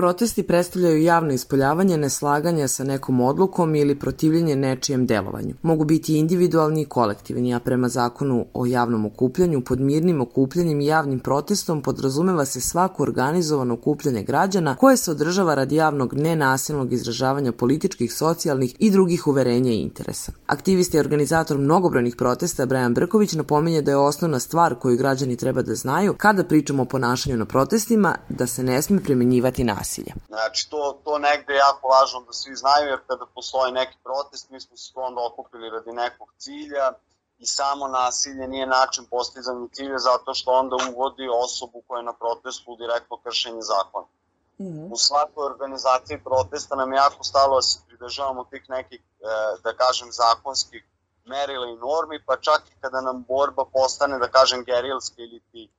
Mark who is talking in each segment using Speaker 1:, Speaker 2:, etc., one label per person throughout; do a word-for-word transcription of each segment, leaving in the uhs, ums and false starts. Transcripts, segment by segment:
Speaker 1: protesti predstavljaju javno ispoljavanje neslaganja sa nekom odlukom ili protivljenje nečijem delovanju. Mogu biti individualni i kolektivni, a prema zakonu o javnom okupljanju, pod mirnim okupljanjem i javnim protestom podrazumeva se svako organizovano okupljanje građana koje se održava radi javnog nenasilnog izražavanja političkih, socijalnih i drugih uverenja i interesa. Aktivista i organizator mnogobrojnih protesta Brajan Brković napominje da je osnovna stvar koju građani treba da znaju kada pričamo o ponašanju na protestima da se ne sme primenjivati nasilje.
Speaker 2: Znači, to, to negde je jako važno da svi znaju, jer kada postoji neki protest, mi smo se onda okupili radi nekog cilja i samo nasilje nije način postizanja cilja zato što onda uvodi osobu koja je na protestu direktno kršenje zakona. U svakoj organizaciji protesta nam je jako stalo da se pridržavamo tih nekih, da kažem, zakonskih merila i normi, pa čak i kada nam borba postane, da kažem, gerilska ili ti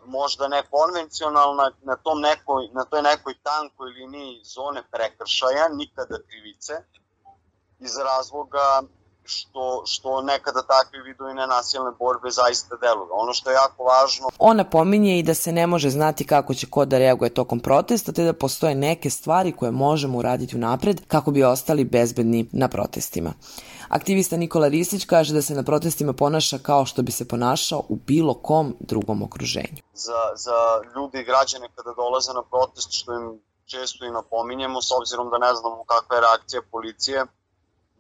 Speaker 2: možda ne konvencionalna, na, tom nekoj, na toj nekoj tankoj liniji zone prekršaja, nikada krivice, iz razloga što, što nekada takvi vidovi nenasilne borbe zaista deluju. Ono što je jako važno...
Speaker 1: On napominje i da se ne može znati kako će ko da reaguje tokom protesta, te da postoje neke stvari koje možemo uraditi unapred kako bi ostali bezbedni na protestima. Aktivista Nikola Ristić kaže da se na protestima ponaša kao što bi se ponašao u bilo kom drugom okruženju.
Speaker 2: Za, za ljudi i građane kada dolaze na protest, što im često i napominjemo, s obzirom da ne znamo kakva je reakcija policije,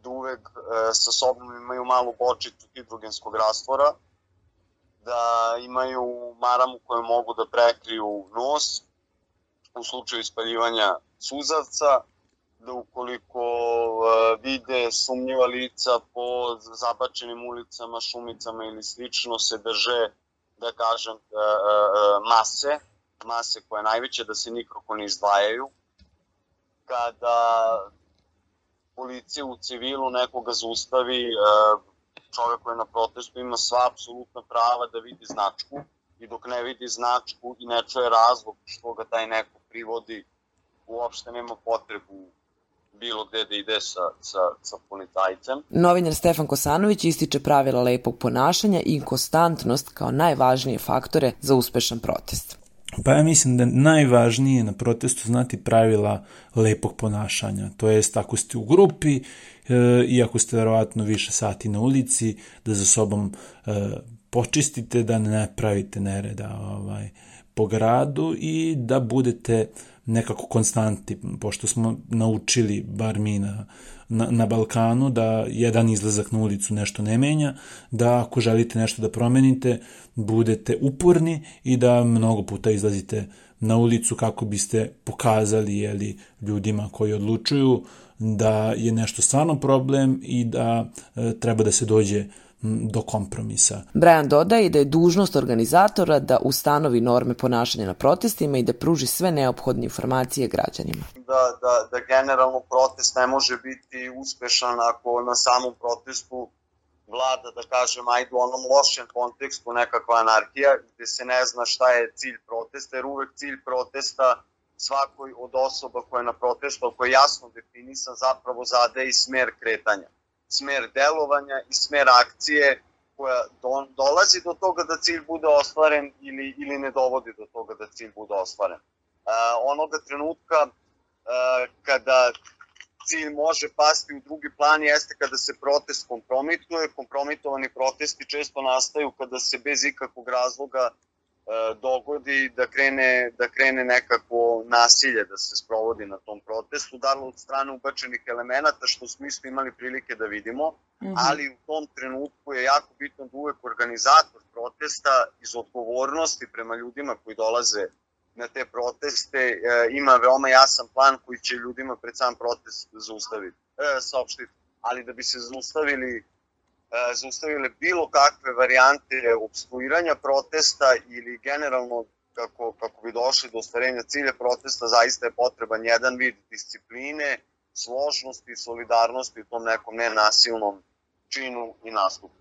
Speaker 2: da uvek e, sa sobom imaju malu bočicu hidrogenskog rastvora, da imaju maramu koju mogu da prekriju nos u slučaju ispaljivanja suzavca, da ukoliko e, vide sumnjiva lica po zabačenim ulicama, šumicama ili slično, se drže, da kažem, e, e, mase, mase koja je najveća, da se nikako ne izdvajaju. Kada policija u civilu nekoga zaustavi, e, čovjek koji je na protestu ima sva apsolutna prava da vidi značku i dok ne vidi značku i ne čuje razlog što ga taj neko privodi, uopšte nema potrebu bilo gde da ide sa, sa, sa policajcem.
Speaker 1: Novinar Stefan Kosanović ističe pravila lepog ponašanja i konstantnost kao najvažnije faktore za uspešan protest.
Speaker 3: Pa ja mislim da je najvažnije na protestu znati pravila lepog ponašanja. To jest, ako ste u grupi, e, iako ste verovatno više sati na ulici, da za sobom e, počistite, da ne pravite nereda ovaj, po gradu i da budete nekako konstanti, pošto smo naučili, bar mi na, na, na Balkanu, da jedan izlazak na ulicu nešto ne menja, da ako želite nešto da promenite, budete uporni i da mnogo puta izlazite na ulicu kako biste pokazali jeli, ljudima koji odlučuju da je nešto stvarno problem i da e, treba da se dođe do kompromisa.
Speaker 1: Brajan dodaje da je dužnost organizatora da ustanovi norme ponašanja na protestima i da pruži sve neophodne informacije građanima.
Speaker 2: Da, da, da generalno protest ne može biti uspešan ako na samom protestu vlada, da kažem, ajde u onom lošem kontekstu nekakva anarhija gde se ne zna šta je cilj protesta, jer uvek cilj protesta svakoj od osoba koja je na protestu, ako je jasno definisan, zapravo zade i smer kretanja, smer delovanja i smer akcije koja do, dolazi do toga da cilj bude ostvaren ili, ili ne dovodi do toga da cilj bude ostvaren. Uh, onoga trenutka uh, kada cilj može pasti u drugi plan jeste kada se protest kompromituje. Kompromitovani protesti često nastaju kada se bez ikakvog razloga dogodi da krene, da krene nekako nasilje da se sprovodi na tom protestu, da li od strane ubačenih elemenata, što smo isto imali prilike da vidimo, mm-hmm. ali u tom trenutku je jako bitno da uvek organizator protesta iz odgovornosti prema ljudima koji dolaze na te proteste e, ima veoma jasan plan koji će ljudima pred sam protest zaustaviti, e, saopštiti. Ali da bi se zaustavili zaustavile bilo kakve varijante opstruiranja protesta ili generalno kako, kako bi došli do ostvarenja cilja protesta, zaista je potreban jedan vid discipline, složnosti i solidarnosti u tom nekom nenasilnom činu i nastupu.